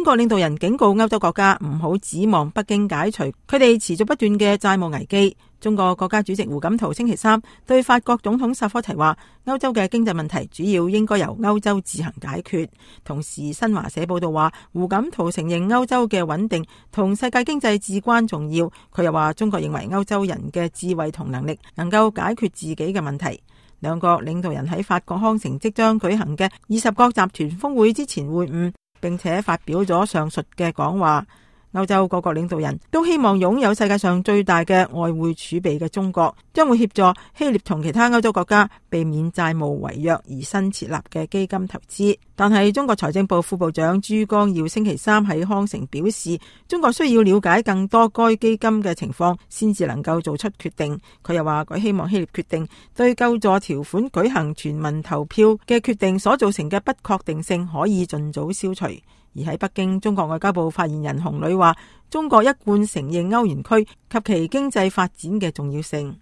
中國領導人警告歐洲國家唔好指望北京解除佢哋持續不斷嘅債務危機。中國國家主席胡錦濤星期三對法國總統薩科提話，歐洲嘅經濟問題主要應該由歐洲自行解決。同時新華社報道話，胡錦濤承認歐洲嘅穩定同世界經濟至關重要。佢又話，中國認為歐洲人嘅智慧同能力能夠解決自己嘅問題。兩國領導人喺法國康城即將舉行嘅20國集團峰會之前會晤，並且發表咗上述嘅講話。歐洲各國領導人都希望擁有世界上最大嘅外匯儲備嘅中國，將會協助希臘同其他歐洲國家避免債務違約而新設立嘅基金投資。但係中國財政部副部長朱光耀星期三喺康城表示，中國需要了解更多該基金嘅情況，先至能夠做出決定。佢又話，佢希望希臘決定對救助條款舉行全民投票嘅決定所造成嘅不確定性可以盡早消除。而喺北京，中國外交部發言人洪磊話，中國一貫承認歐元區及其經濟發展嘅重要性。